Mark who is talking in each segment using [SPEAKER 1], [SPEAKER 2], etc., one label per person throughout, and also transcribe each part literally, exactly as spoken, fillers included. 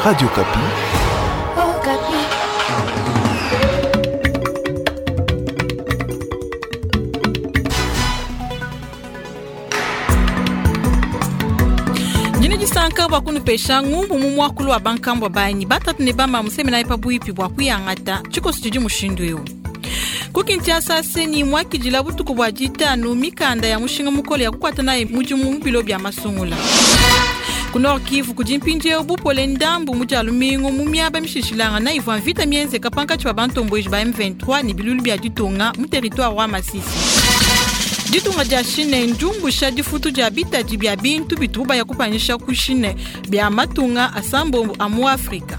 [SPEAKER 1] Radio Okapi.
[SPEAKER 2] Okapi.
[SPEAKER 3] Ndine disanka bua kunupesha ngumbu mu muakulu wa bankambua banyi batatu ne bama musemenayi pabuipi bua kuyangata tshikoso tshidi mushindu eu. Ku Kinshasa CENI muakidila butuku bua ditanu mikanda ya mushinga mukole ya kukuata nayi mudimu mu bilo bia masungula. Ku Nord Kivu kudi mpindieu bupole ndambu mu dia lumingu mu miaba mishilashilangana ivua mvita mienzeka pankatshi pa bantomboji ba M vingt-trois ne bilulu bia ditunga mu territoire wa Masisi. Ditunga dia Chine ndiumbusha difutu dia bitadi bia bintu bitubu baya kupanyisha ku Chine bia matunga asambombo a mu Afrika.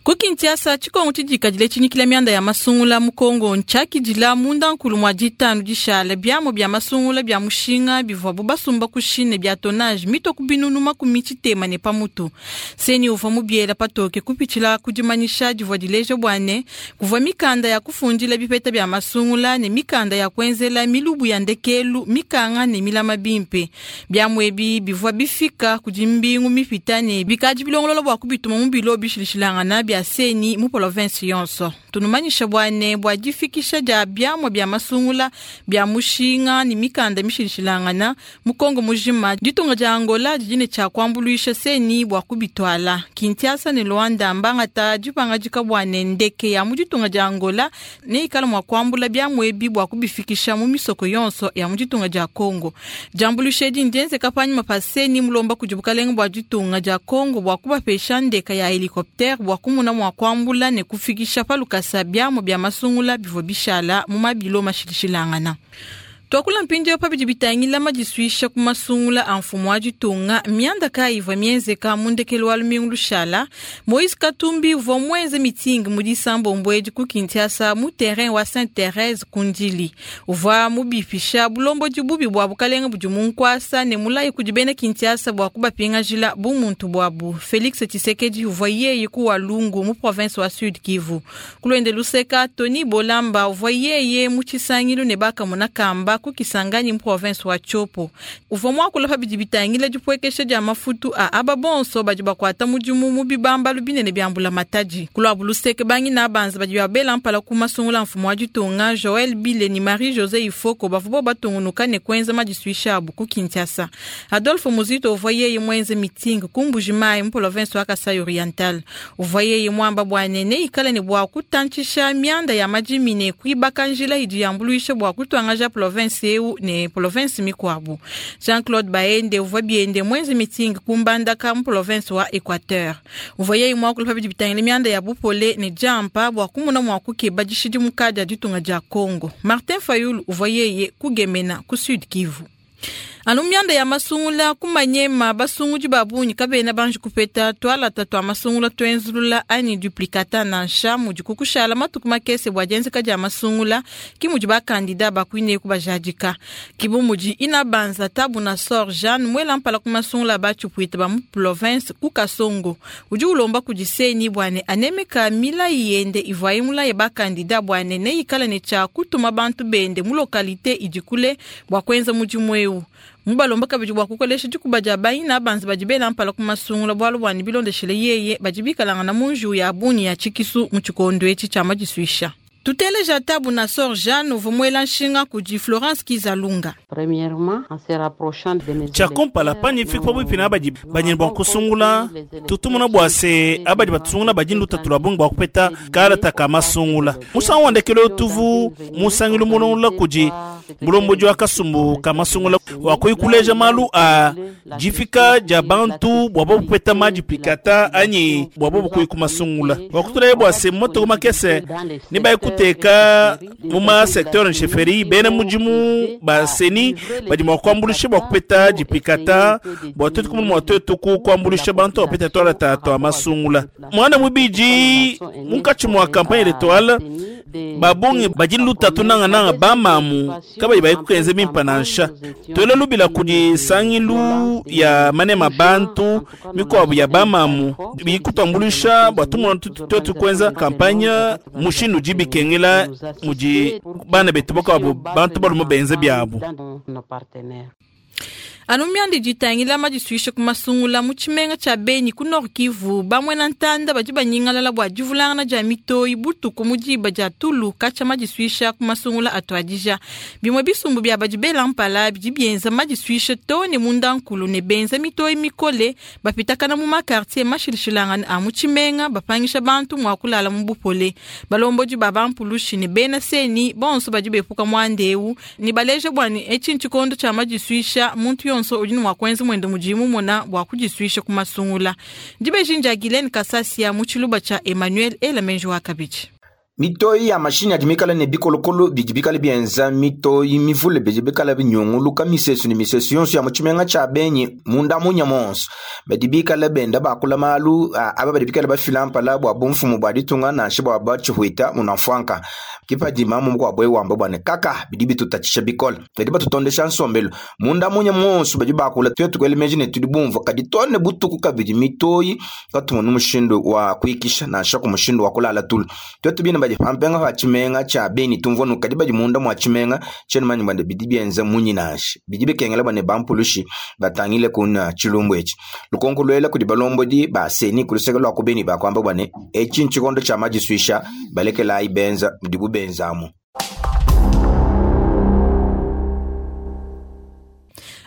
[SPEAKER 3] Ku Kinshasa, tshikongo tshidikadile tshinyikila mianda ya masungula mu Kongo ntshiakidila munda nkulu mwa ditanu dishala biamo bia masungula bia mushinga bivuabu basumba ku Chine bia tonnage mito ku binunu makumi tshitema ne pamutu. CENI uvua mubiela patoke kupitshila ku dimanyisha divua dileja bua ne kuvua mikanda ya kufundila bipeta bia masungula ne mikanda ya kuenzela milubu ya ndekelu mikanga ne milama bimpe. Biamu ebi bivua bifika kudi mbingu mipita ne bikadi bilongolola bua kubituma mu bilo bishilashilangana bia CENI mu province yonso. Tunumanyisha bua ne bua difikisha dia biamua bia masungula bia mushinga ne mikanda mishilashilangana mu Kongo mujima. Ditunga dia Angola didi ne tshia kuambuluisha CENI bua kubitwala. Kinshasa ne Luanda mbangata dipangadika bua ne ndeke ya mu ditunga dia Angola ne ikala mua kuambula biamua ebi bua kubifikisha mu misoko yonso ya mu ditunga dia Kongo. Diambuluisha edi ndienzeka panyima pa CENI mulomba kudi bukalenge bua ditunga dia Kongo bua kubapesha ndeka ya helicoptère bua kumuna mua kuambula ne kufikisha pa lukasa biamu bia masungula bivua bishala mu mabilo mashilashilangana. Tuakula mpindieu pa bidi bitangila madisuisha ku masungula a mfumu wa ditunga mianda kayi ivua mienzeka mu ndekelu wa lumingu lushala. Moïse Katumbi uvua muenze meeting mu disambombo edi ku Kinshasa mu terrain wa Sainte-Thérèse ku Ndjili. Uvua mubipisha bulombodi bubi bua bukalenge budi mu nkuasa ne mulayi kudi bena Kinshasa bua kubapingajila bumuntu buabu. Félix Tshisekedi uvua yeye ku Walungu mu province wa Sud Kivu. Ku luseka Tony Bolamba uvua yeye mu tshisangilu ne bakamona kamba ku Kisangani mu province wa Tshopo. Uvua muakula pa bidi bitangila dipuekesha dia mafutu a aba bonso badi bakuata mudimu mu bibambalu binene bia mbula matadi. Ku luseke bangi na banza badi babela mpala ku masungula mfumu wa ditunga Joël Bile ni Marie-José Ifoko bavua batungunuka ne kuenza madisuisha abu ku Kinshasa. Adolphe Muzito uvua yeye muenze meeting ku Mbuji-Mayi mu province wa Kasai Oriental. Uvua yeye muamba bua ne neikale ne bua kutantshisha mianda ya madimi ne kuibaka njila idi yambuluisha bua kutuangaja province eu ne province mikuabu. Jean-Claude Baende uvua biende mwenze meeting ku Mbandaka mu province wa Equateur. Uvua yeye muakula pa bidi bitangila mianda ya bupole ne diampa bua kumuna mua kukeba dishidimuka dia ditunga dia Congo. Martin Fayulu uvua yeye kugemena ku Sud Kivu. Anu mianda ya masungula kumanyema basungudi babunyi kabena banji kupeta twalata twa masungula twenzulula ani duplicata nansha mudi kukushala matuku makese bua dienzeka dia masungula ki mudi bakandida bakuine kubajadika. Kibu mudi ina banza tabu na sor Jeanne mwela mpala ku masungula batshipuita ba mu province ku Kasongo. Udi ulomba kudi CENI bua ne anemeka milayi yende ivuaye mulaye bakandida bua ne neikale ne tshia kutuma bantu bende mu localité idi kule bua kuenza mudimu eu. Mubalomba kabidi bua kukolesha dikuba dia bayina banza badi bela mpala ku masungula bualu bua ne bilondeshele yeye badi bikalangana mu njiwu ya bungi ya tshikisu mu tshikondo etshi tshia madisuisha. Tuteleja tabu na sor Jeanne uvua muela nshinga kudi Florence Kizalunga.
[SPEAKER 4] Premièrement, en se rapprochant de mes
[SPEAKER 5] Tshia kumpala panyi fika pabuipi na abadi banyeni bua kusungula tutumuna bua se abadi batusungula badi lutatu lua bungi bua kupeta kalata ka masungula. Musangu wa ndekelu tuvu musangilu mulongolola kudi mulombodi wa kasumbu ka masungula wa kuikuleja malu a difika dia bantu bua bopeta maduplicata anyi bua bobu ku masungula. Wa kutulaye bua se motoko makese ne baikuteka mu ma secteur nchefferie bena mudimu ba CENI badi mua kuambuluisha bua kupeta duplicata bua tuetu kumuna mua tuetu ku kuambuluisha bantu bapeta twalata twa masungula. Mwana mubidi munkatshi mua campagne électorale babungi badi lutatu nangananga bamamu kabayi bayikukenze bimpa nansha. Twele lubila kudi sangilu ya manema bantu mikuabu ya bamamu bikutambuluisha bua tumona tuetu kuenza kampanye mushindu udi bikengela mudi bana betu bakuabu bantu balume benze biabu.
[SPEAKER 3] Anu myandi ditangila madisuisha ku masungula mu tshimenga tshia Beni ku Nord Kivu bamwena ntanda badi banyingalala bua divulangana dia mitoyi butuku mu diba dia tulu katshia madisuisha ku masungula atuadija. Bimue bisumbu bia badi bela mpala bidi bienza madisuisha too ne mundankulu ne benza mitoyi mikole bapitakana mu makartier mashilashilangane a mu tshimenga bapangisha bantu mua kulala mu bupole. Balombodi ba bampulushi ne bena seni bonso badi bepuka muandeu ne baleja bua ne etshi ntshikondo tshia madisuisha muntu yonso udi ne mwa kwenza mwende mudimu mona bua kudisuisha ku masungula. Dibeji ndia Guylaine Kasasia mu tshiluba tshia Emmanuel Elamenji wa kabidi.
[SPEAKER 1] Mitoyi ya mashini adi mikale ne bikolokolo bidi bikale bienza mitoyi mivule bidi bikale binyunguluka misesu ne misesu yonso ya mu tshimenga tshia Beni munda munya monso. Badi bikale benda bakula malu aba badi bikale bafila mpala bua bumfumu bua ditunga nansha bua batshihwita munamfwanka. Kipadi mamu mukuabo wamba bua ne kaka bidi bitutatshisha bikole. Badi batutondesha nsombelu munda munya monso badi bakula twetu kwele meji ne tudi bumvua kadi tone butuku kabidi mitoyi katumona mushindu wa kuikisha nansha ku mushindu wa kulala tulu. Twetu bina badi pampenga pa tshimenga tshia Beni tumvua nukadi badi munda mwa tshimenga tshenu manyi bande bidi bienza munyi nansha bidi bikengela bane bampulushi batangile kuna tshilumbu etshi. Lukonko lwela kudi balombodi ba seni kuluseke lwa ku Beni bakwamba bwane etshi ntshikondo tshia madisuisha balekelayi benza mudibu benzamu.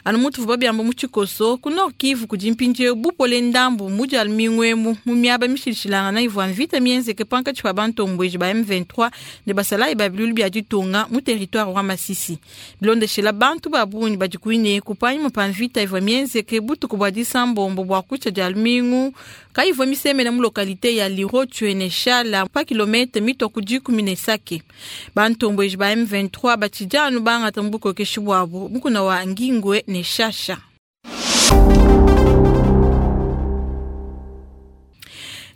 [SPEAKER 3] Anu mutu vuba byamba mu tshikoso ku Nord Kivu kudi mpindieu bupole ndambu mu dia lumingu mu miaba mishilashilangana ivua mvita mienzeke pankatshi pa bantombweji ba M vingt-trois ne basalayi ba bilulu bia ditunga mu territoire wa Masisi. Bilondeshela bantu ba bungi badi kuine kupanyima pa mvita ivua mienzeke butuku bua disambombo bua kutshia dia lumingu kayivua misemena mu localité ya Lirotshwe ne Shala pa kilomètre mitwa ku dikumi ne sake. Bantombweji ba M vingt-trois batshidi anu bangata mu bukokeshi buabu mukuna wa Ngingwe ne Shasha.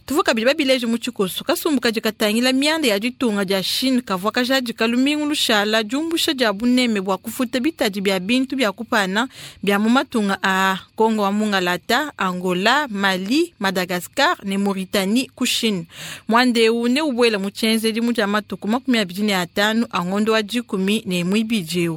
[SPEAKER 3] Tuvuka bidi babileje mu tshikoso kasumbu kadi katangila mianda ya ditunga dia Chine kavua kajadika lumingu lushala diumbusha dia buneme bua kufuta bitadi bia bintu bia kupana bia mu matunga a Congo wa Mungalata, Angola, Mali, Madagascar ne Mauritanie ku Chine. Mwandeu ne ubwela mu tshenzedi mu dia matuku makumi abidi ne atanu a ngondo wa dikumi ne muibidi.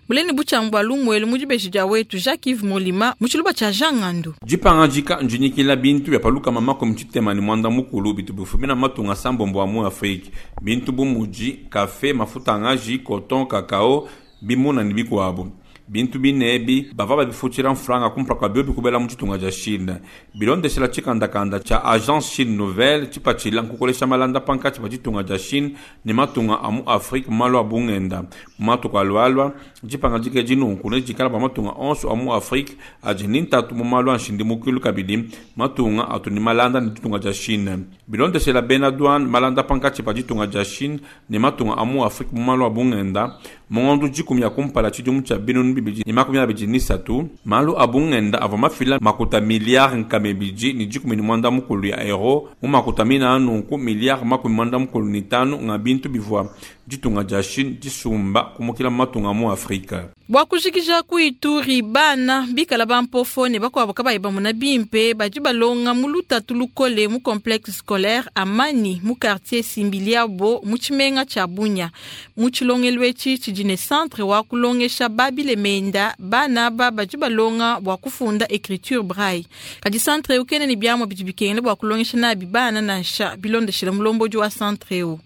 [SPEAKER 3] Mulene butshambua lumuelu mu dibeji dia wetu Jacques-Yves Molima mu tshiluba tshia Jean Ngandu.
[SPEAKER 6] Dipangajika njinyikila bintu bia paluka mama komutshitema ne mwanda mukulu bitu bifumina matunga sambombo mu Afrique. Bintu bu mudi kafe, mafuta ngaji, coton, cacao, bimuna ne bikuabo. Bintu binebi bava babifutshila mfranga kumpala kua bio bikubela mu tshitunga dia Chine. Bilondeshela tshikandakanda tshia Agence Chine Nouvelle tshipatshila nkukolesha malanda pankatshi pa tshitunga dia Chine ne matunga a mu Afrique malu a bungenda. Mu matuku alualua dipanga dike dinunku ne dikala pa matunga onso a mu Afrique adi ni ntatu mu malu a nshindimukilu kabidi matunga atu ni malanda ne ditunga dia Chine. Bilondeshela bena douane malanda pankatshi pa ditunga dia Chine ne matunga a mu Afrique mu malu a bungenda mu ngondo dikumi ya kumpala tshidimu tshia binunu bibidi ni makumi abidi ni satu malu a bungenda avua mafila makuta milliard nkama ibidi ni dikumi ni mwanda mukulu ya euro mu makuta mina anunku milliard makumi mwanda mukulu ni tanu nga bintu bivua ditunga dia Chine disumba kumukila matunga mu Afrika.
[SPEAKER 3] Bua kujikija ku Ituri bana bikala bampofo ne bakuabo kabayi bamona bimpe badi balonga mu lutatu lukole mu complexe scolaire Amani mu quartier Simbiliabo mu tshimenga tshia Bunia. Mu tshilongelu etshi tshidi ne centre wa kulongesha babile menda bana aba badi balonga bua kufunda écriture braille. Kadi centre eu kene ne biamua bidi bikengela bua kulongesha nabi bana nansha bilondeshela mulombodi wa centre eu.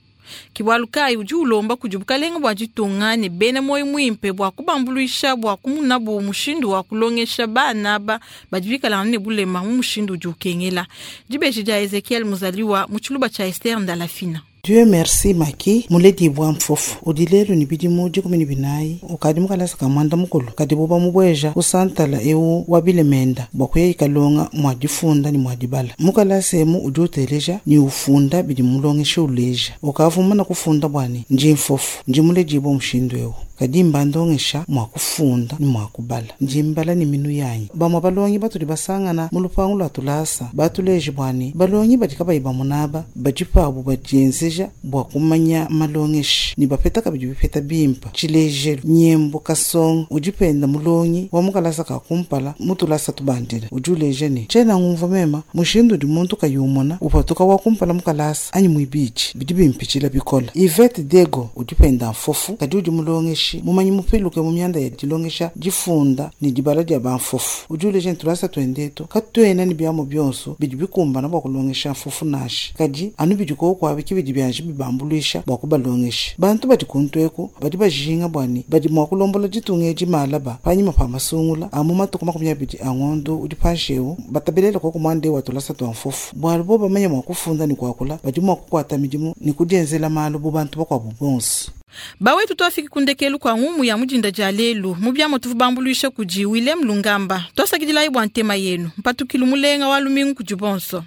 [SPEAKER 3] Kiwalukai udi ulomba kudi bukalenga bua ditunga ne bena moyo muimpe bua kubambuluisha bua kumunabu mushindu wa kulongesha bana aba badi bikalanga ne bulema mu mushindu udi ukengela. Dibeji dia Ezekiel Muzaliwa mu tshiluba tshia Esther Ndalafina.
[SPEAKER 7] Dieu merci maki muledi bwa mfofu udilelu ni bidimu dikumi ni binayi ukadi mukalasa ka mwanda mukulu kadi buba mubweja kusantala eu wabile menda bwa kuya ikalonga mwa difunda ni mwa dibala mukalasa emu udi uteleja ni ufunda bidi mulongesha uleja ukavuma na kufunda bwani nji mfofu nji muledi bwa mushindu eu kadi mbandongesha mwa kufunda ni mwa kubala nji mbala ni minu yanyi bamwa balongi batuli basangana mu lupangu lwa tulasa batuleje bwani balongi badi kabayi bamunaba badi pabu badienzeja bwa kumanya malongeshi ni bapeta kabidi bipeta bimpa tshilejelu nyembo kasongo udi penda mulongi wa mukalasa ka kumpala mutulasa tubandila udi uleja ne tshena ngumva mema mushindu udi muntu kayumona upatuka wa kumpala mukalasa anyi muibidi bidi bimpitshila bikola Yvette Dego udi penda mfofu kadi udi mulongeshi Mulongeshi mumanyi mupiluke mu mianda ya dilongesha difunda ne dibala dia bamfofu udi uleja ne tulasa tuendetu katuena ne biamu bionso bidi bikumbana bua kulongesha mfofu nansha kadi anu bidi koku ki bidi bianji bibambuluisha bua kubalongesha. Bantu badi kuntu eku badi bajinga bua ne badi mua kulombola ditunga edi malaba panyima pa masungula a mu matuku makumi abidi a ngondo udi panshi ewu batabelele koku muanda ewu wa tulasa tua mfofu bualu bo bamanya mua kufunda ne kuakula badi mua kukuata midimu ne kudienzela malu bu bantu bakuabu bonso.
[SPEAKER 3] Bawetu twafiki kundekelu kwa ngumu ya mudinda dia lelu mu biamo tuvu bambuluisha kudi Willem Lungamba. Twasakidilayi bua ntema yenu mpatukilu mulenga wa lumingu kudi bonso.